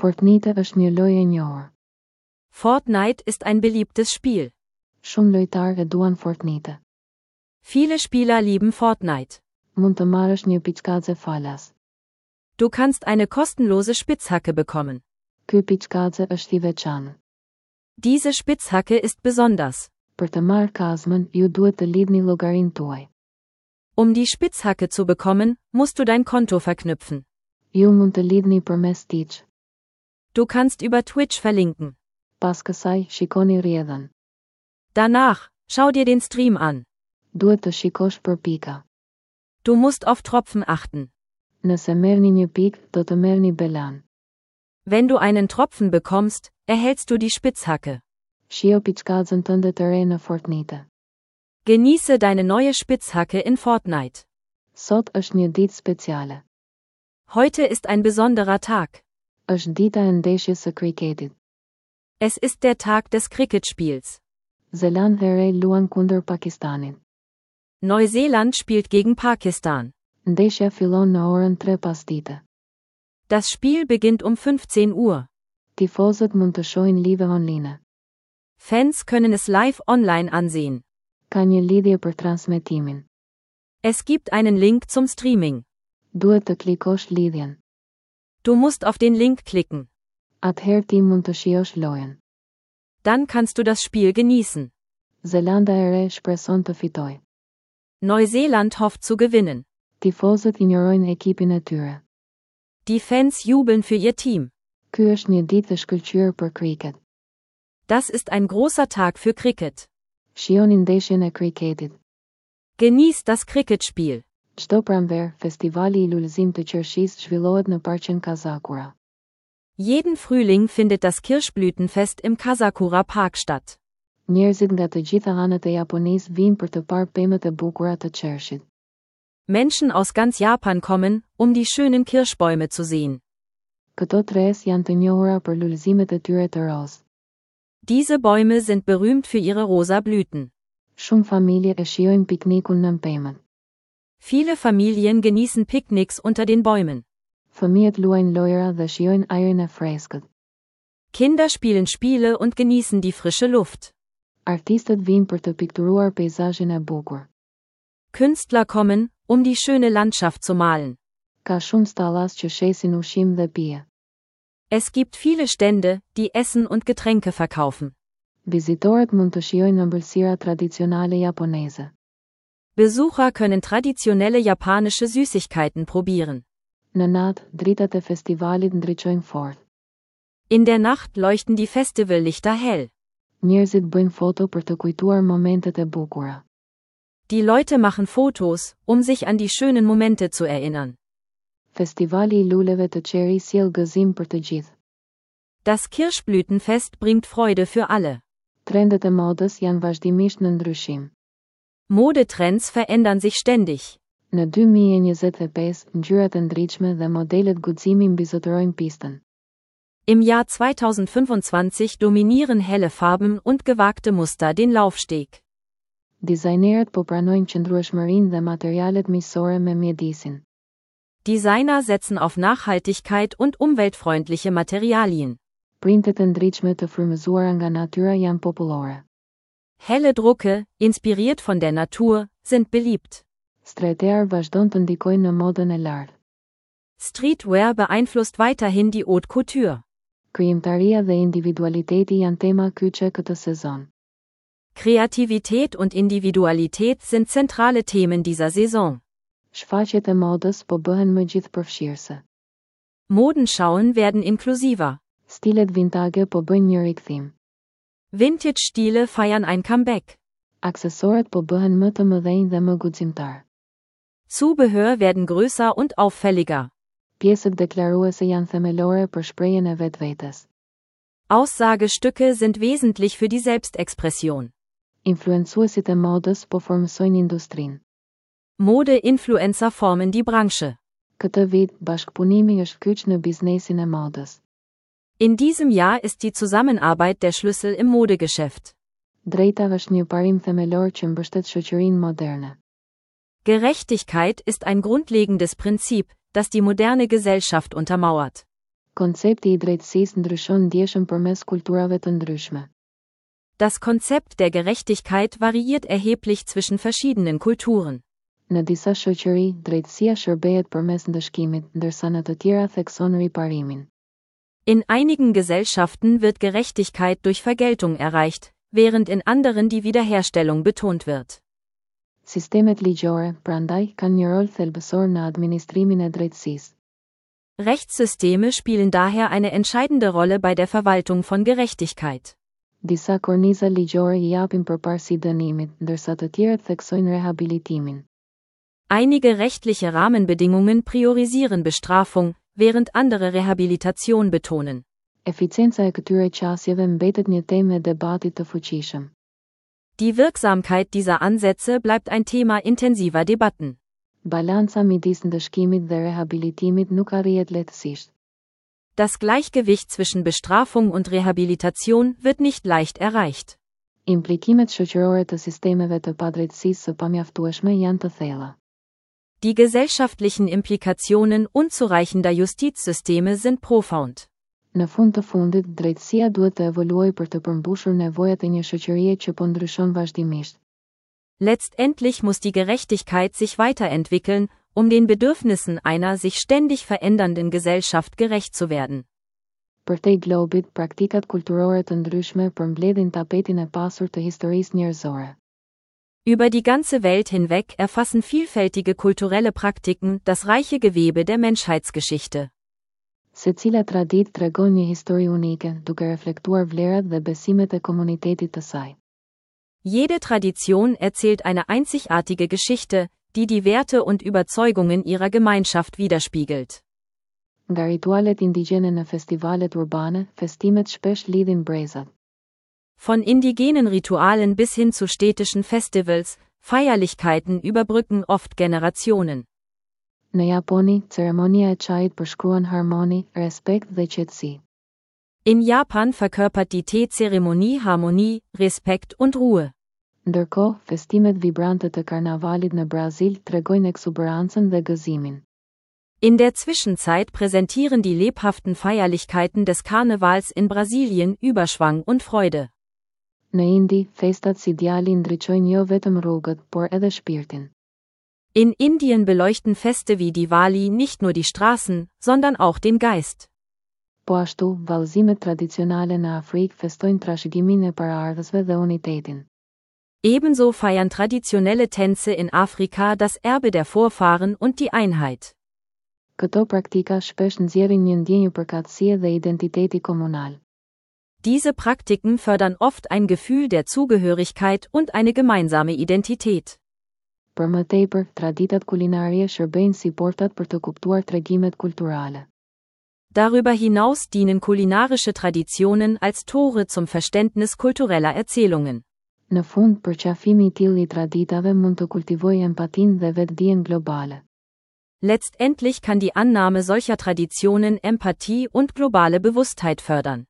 Fortnite është një lojë e njohur. Fortnite ist ein beliebtes Spiel. Shumë lojtarë e duan Fortnite. Viele Spieler lieben Fortnite. Mund të marrësh një piçkaze falas. Du kannst eine kostenlose Spitzhacke bekommen. Ky piçkaze është i veçantë. Diese Spitzhacke ist besonders. Për të marrë kazmën, ju duhet të lidhni llogarinë tuaj. Um die Spitzhacke zu bekommen, musst du dein Konto verknüpfen. Ju mund të lidhni përmes Twitch. Du kannst über Twitch verlinken. Pas kësaj, shikoni rrjedhën. Danach, schau dir den Stream an. Duhet të shikosh për pika. Du musst auf Tropfen achten. Nëse merrni një pikë, do të merrni belanë. Wenn du einen Tropfen bekommst, erhältst du die Spitzhacke. Shijo piçkazën tënde të re në Fortnite. Genieße deine neue Spitzhacke in Fortnite. Sot është një ditë speciale. Heute ist ein besonderer Tag. Është dita e ndeshjes së kriketit. Es ist der Tag des Cricketspiels. Zelandë e Re luan kundër Pakistanit. Neuseeland spielt gegen Pakistan. Ndeshja fillon në orën 3 pasdite. Das Spiel beginnt um 15 Uhr. Tifozët mund të shohin live online. Fans können es live online ansehen. Ka një lidhje për transmetimin. Es gibt einen Link zum Streaming. Duhet të klikosh lidhjen. Du musst auf den Link klicken. Atëherë ti mund të shijosh lojën. Dann kannst du das Spiel genießen. Zelanda e Re shpreson të fitojë. Neuseeland hofft zu gewinnen. Tifozët injorojnë ekipin e tyre. Die Fans jubeln für ihr Team. Ky është një ditë e shkëlqyer për kriket. Das ist ein großer Tag für Cricket. Shijoni ndeshjen e kriketit. Genieß das Cricketspiel. Çdo pranverë, festivali i lulëzim të qershisë zhvillohet në parqen Kazakura. Jeden Frühling findet das Kirschblütenfest im Kazakura Park statt. Njerëzit nga të gjitha anët e Japonisë vijnë për të parë pemët e bukura të qershit. Menschen aus ganz Japan kommen, um die schönen Kirschbäume zu sehen. Këto tresë janë të njohura për lulëzimet e tyre të rozë. Diese Bäume sind berühmt für ihre rosa Blüten. Shumë familje e shijojnë piknikun nën pemët. Viele Familien genießen Picknicks unter den Bäumen. Fëmijët luajnë lojëra dhe shijojnë ajrin e freskët. Kinder spielen Spiele und genießen die frische Luft. Artistët vijnë për të pikturuar peizazhin e bukur. Künstler kommen, um die schöne Landschaft zu malen. Ka shumë stallas që shesin ushqim dhe pije. Es gibt viele Stände, die Essen und Getränke verkaufen. Vizitorët mund të shijojnë ëmbëlsira tradicionale japoneze. Besucher können traditionelle japanische Süßigkeiten probieren. Në natë, dritat e festivalit ndriçojnë fort. In der Nacht leuchten die Festivallichter hell. Njerëzit bëjnë foto për të kujtuar momentet e bukura. Die Leute machen Fotos, um sich an die schönen Momente zu erinnern. Festivali i luleve të cherry sjell gëzim për të gjithë. Das Kirschblütenfest bringt Freude für alle. Trendet e modës janë vazhdimisht në ndryshim. Modetrends verändern sich ständig. Në 2025, ngjyrat e ndritshme dhe modelet guximi mbizotërojnë pistën. Im Jahr 2025 dominieren helle Farben und gewagte Muster den Laufsteg. Dizajnerët po pranojnë qëndrueshmërinë dhe materialet miqësore me mjedisin. Designer setzen auf Nachhaltigkeit und umweltfreundliche Materialien. Printet e ndritshme të frymëzuara nga natyra janë popullore. Helle Drucke, inspiriert von der Natur, sind beliebt. Streetwear vazhdon të ndikojë në modën e lartë. Streetwear beeinflusst weiterhin die Haute Couture. Krijimtaria dhe individualiteti janë tema kyçe këtë sezon. Kreativität und Individualität sind zentrale Themen dieser Saison. Shfaqjet e modës po bëhen më gjithëpërfshirëse. Modenschauen werden inklusiver. Stilet vintage po bëjnë një rikthim. Vintage-Stile feiern ein Comeback. Aksesorët po bëhen më të mëdhenj dhe më guximtar. Zubehör werden größer und auffälliger. Pjesët deklaruese janë themelore për shprehjen e vetvetes. Aussagestücke sind wesentlich für die Selbstexpression. Influencuesit e modës po formësojnë industrinë. Mode-Influencer formen die Branche. Këtë vit, bashkëpunimi është kyç në biznesin e modës. In diesem Jahr ist die Zusammenarbeit der Schlüssel im Modegeschäft. Drejta është një parim themelor që mbështet shoqërinë moderne. Gerechtigkeit ist ein grundlegendes Prinzip, das die moderne Gesellschaft untermauert. Koncepti i drejtësisë ndryshon ndjeshëm përmes kulturave të ndryshme. Das Konzept der Gerechtigkeit variiert erheblich zwischen verschiedenen Kulturen. Në disa shoqëri, drejtësia shërbehet përmes ndëshkimit, ndërsa në të tjera thekson riparimin. In einigen Gesellschaften wird Gerechtigkeit durch Vergeltung erreicht, während in anderen die Wiederherstellung betont wird. Sistemet ligjore, prandaj, kanë një rol thelbësor në administrimin e drejtësisë. Rechtssysteme spielen daher eine entscheidende Rolle bei der Verwaltung von Gerechtigkeit. Disa korniza ligjore i japin përparësi dënimit, ndërsa të tjerët theksojnë rehabilitimin. Einige rechtliche Rahmenbedingungen priorisieren Bestrafung, während andere Rehabilitation betonen. Eficienca e këtyre qasjeve mbetet një temë e debatit të fuqishëm. Die Wirksamkeit dieser Ansätze bleibt ein Thema intensiver Debatten. Balanca midis ndëshkimit dhe rehabilitimit nuk arrihet lehtësisht. Das Gleichgewicht zwischen Bestrafung und Rehabilitation wird nicht leicht erreicht. Implikimet shoqërore të sistemeve të padrejtësisë së pamjaftueshme janë të thella. Die gesellschaftlichen Implikationen unzureichender Justizsysteme sind profound. Në fund të fundit, drejtësia duhet të evoluojë për të përmbushur nevojat e një shoqërie që po ndryshon vazhdimisht. Letztendlich muss die Gerechtigkeit sich weiterentwickeln, um den Bedürfnissen einer sich ständig verändernden Gesellschaft gerecht zu werden. Përtej globit, praktikat kulturore të ndryshme përmbledhin tapetin e pasur të historisë njerëzore. Über die ganze Welt hinweg erfassen vielfältige kulturelle Praktiken das reiche Gewebe der Menschheitsgeschichte. Secila traditë tregon një histori unike, duke reflektuar vlerat dhe besimet e komunitetit të saj. Jede Tradition erzählt eine einzigartige Geschichte, die die Werte und Überzeugungen ihrer Gemeinschaft widerspiegelt. Nga ritualet indigjene në festivalet urbane, festimet shpesh lidhin brezat. Von indigenen Ritualen bis hin zu städtischen Festivals, Feierlichkeiten überbrücken oft Generationen. Në Japoni, ceremonia e çajit përshkruan harmoni, respekt dhe qetësi. In Japan verkörpert die Teezeremonie Harmonie, Respekt und Ruhe. Ndërkohë, festimet vibrante të karnavalit në Brazil tregojnë ekzuberancën dhe gëzimin. In der Zwischenzeit präsentieren die lebhaften Feierlichkeiten des Karnevals in Brasilien Überschwang und Freude. Në Indi, festat si Diwali ndriçojnë jo vetëm rrugët, por edhe shpirtin. In Indien beleuchten Feste wie Diwali nicht nur die Straßen, sondern auch den Geist. Po ashtu, vallëzimet tradicionale në Afrikë festojnë trashëgiminë e paraardhësve dhe unitetin. Ebenso feiern traditionelle Tänze in Afrika das Erbe der Vorfahren und die Einheit. Këto praktika shpesh nxjerrin një ndjenjë përkatësie dhe identiteti komunal. Diese Praktiken fördern oft ein Gefühl der Zugehörigkeit und eine gemeinsame Identität. Për më tepër, traditat kulinarie shërbejnë si portat për të kuptuar tregimet kulturale. Darüber hinaus dienen kulinarische Traditionen als Tore zum Verständnis kultureller Erzählungen. Në fund, përqafimi i tillë i traditave mund të kultivojë empatinë dhe vetëdijen globale. Letztendlich kann die Annahme solcher Traditionen Empathie und globale Bewusstheit fördern.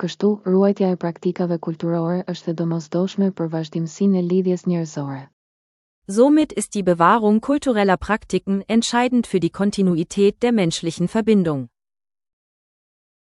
Kështu, ruajtja e praktikave kulturore është e domosdoshme për vazhdimësinë e lidhjes njerëzore. Somit ist die Bewahrung kultureller Praktiken entscheidend für die Kontinuität der menschlichen Verbindung.